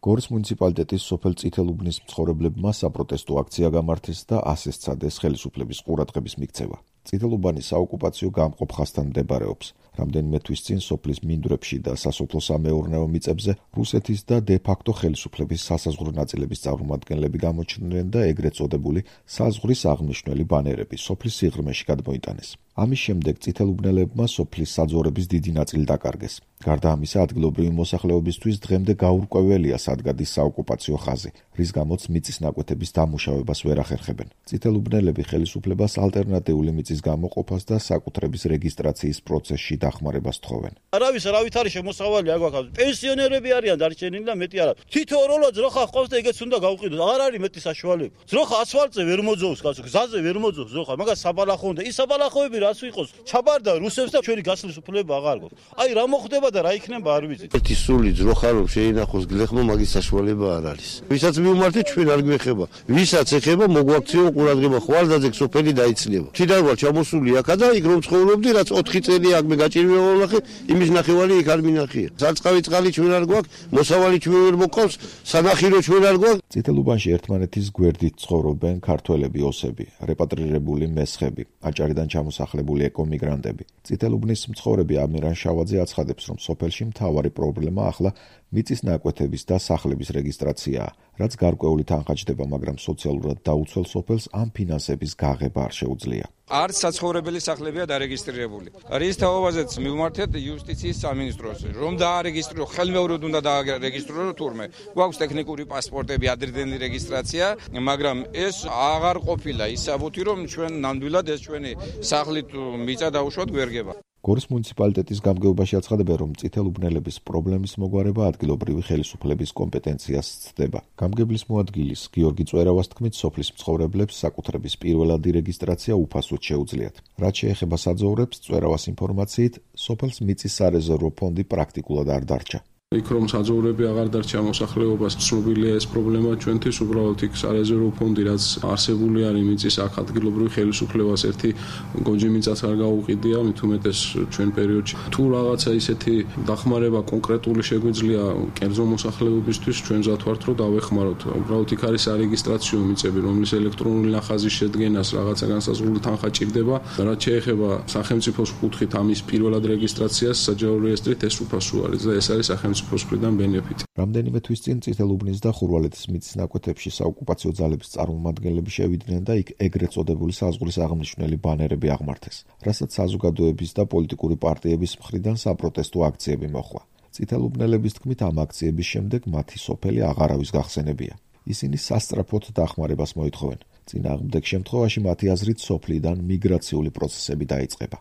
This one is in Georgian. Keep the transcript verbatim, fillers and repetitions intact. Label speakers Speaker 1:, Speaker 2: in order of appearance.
Speaker 1: გორის მუნიციპალიტეტის სოფელ წითელუბნის მცხოვრებლებმა საპროტესტო აქცია გამართეს და ასე სცადეს ხელისუფლების ყურადღების მიქცევა. წითელუბანი საოკუპაციო გამყოფ ხაზთან მდებარეობს. რამდენიმე თვის წინ სოფლის მინდვრებში და სასოფლო-სამეურნეო მიწებზე რუსეთის და დე-ფაქტო ხელისუფლების სასაზღვრო ნაწილების წარმომადგენლები გამოჩნდნენ და ეგრეთ წოდებული საზღვრის აღმნიშვნელი ბანერები სოფლის სიღრმეში გადმოიტანეს. ამის შემდეგ წითელუბნელებმა სოფლის საძოვრების დიდი ნაწილი დაკარგეს. გარდა ამისა, ადგილობრივი მოსახლეობისთვის დღემდე გაურკვეველია სადგადის საოკუპაციო ხაზი, რის გამოც მიწის ნაკვეთების დამუშავებას ვერ ახერხებენ. წითელუბნელები ხელისუფლებას ალტერნატიული მიწის გამოყოფას და საკუთრების რეგისტრაციის პროცესში დახმარებას თხოვენ.
Speaker 2: არავის არავით არის შემოსავალი აქ ვაკავს. პენსიონერები არიან დარჩენილი და მეტი არა. თითოეულო ძროხა ყავს და ეგეც უნდა გავყიდოთ. არ არის მეტი საშუალება. ძროხა ასფალტზე ვერ მოძოვს, კაცო, გზაზე ვერ მოძოვს ძროხა, მაგას საბალახო უნდა. ის საბალახოები რას ვიყოს? ჩაბარდა რუსებს და ჩვენი გასვლის უფლება აღარ გვაქვს. აი რა მოხდება და რა იქნება არ ვიცი.
Speaker 3: ერთი სული ძროხა რომ შეინახოს გლეხმო მაგის საშუალება არ არის. ვისაც მივმართეთ ჩვენ არ გვეხება. ვისაც ეხება მოგვაქციო ყურადღება ხვალდაძე სოფელი დაიცლება. თვითონ ვარ ჩამოსული აქა და იქ რომ ცხოვრობდი რაც ოთხი წელი აქ მე გაჭირვება ვნახე, იმის ნახევარი იქ არ მინახია. სარწყავი წყალი ჩვენ არ გვაქვს, მოსავალი ჩვენ ვერ მოყავს, სანახირო ჩვენ არ გვაქვს.
Speaker 1: წითელუბანში ერთმანეთის გვერდით ცხოვრობენ ქართველები ოსები, რეპატრირებული მესხები, აჭარიდან ჩამოსახლებული ეკომიგრანტები. წითელუბნის მცხოვრები ამირან შავაძე აცხადებს, რომ სოფელში მთავარი პრობლემა ახლა მიწის ნაკვეთების და სახლების რეგისტრაციაა, რაც გარკვეული თანხა ჯდება, მაგრამ სოციალურად დაუცველ სოფელს ამ ფინანსების გაღება არ შეუძლია.
Speaker 4: არც საცხოვრებელი სახლებია დარეგისტრირებული. რის თაობაზეც მივმართეთ იუსტიციის სამინისტროს, რომ დაარეგისტრირო, ხელმეორედ უნდა დაარეგისტრირო თურმე. გვაქვს ტექნიკური პასპორტები, ადრინდელი რეგისტრაცია, მაგრამ ეს აღარ ყოფილა ისაბუთი, რომ ჩვენ ნამდვილად ეს ჩვენი სახლით მიწა დაუშვათ გვერგება.
Speaker 1: გორის მუნიციპალიტეტის გამგეობაში აცხადებენ, რომ წითელუბნელების პრობლემის მოგვარება ადგილობრივი ხელისუფლების კომპეტენციას სცდება. გამგებლის მოადგილის გიორგი წვერავას თქმით, სოფლის მცხოვრებლებს საკუთრების პირველადი რეგისტრაცია უფასოდ შეუძლიათ. რაც შეეხება საძოვრებს, წვერავას ინფორმაციით, სოფელს მიწის სარეზერვო ფონდი პრაქტიკულად არ დარჩა.
Speaker 5: იქ რომ საძოვრები აღარ დარჩა მოსახლეობას, ცნობილია ეს პრობლემა ჩვენთვის, უბრალოდ იქ სარეზერვო ფონდი რაც არსებული არის მიწის აქ ადგილობრივი ხელისუფლებას ერთი გონჯი მიწას არ გაუყიდია, მით უმეტეს ჩვენ პერიოდში. თუ რაღაცა ისეთი დახმარება კონკრეტული შეგვიძლია კერძო მოსახლეობისთვის, ჩვენ მზად ვართ რომ დავეხმაროთ. უბრალოდ იქ არის სარეგისტრაციო მიწები, რომლის ელექტრონული ნახაზის შედგენას რაღაცა განსაზღვრული თანხა ჭირდება. რაც შეეხება სახელმწიფოს კუთხით ამის პირველად რეგისტრაციას საჯარო რეესტრით ეს უფასო არის და ეს არის სახელმწიფოს
Speaker 1: რამდენიმე თვის წინ წითელუბნის და ხურვალეთის მიწის ნაკვეთებში საოკუპაციო ძალების წარმომადგენლები შევიდნენ და იქ ეგრეთ წოდებული საზღვრის აღმნიშვნელი ბანერები აღმართეს, რასაც საზოგადოების და პოლიტიკური პარტიების მხრიდან საპროტესტო აქციები მოჰყვა. წითელუბნელების თქმით, ამ აქციების შემდეგ მათი სოფელი აღარავის გახსენებია. ისინი სასწრაფოდ დახმარებას მოითხოვენ. წინააღმდეგ შემთხვევაში მათი აზრით სოფლიდან მიგრაციული პროცესები დაიწყება.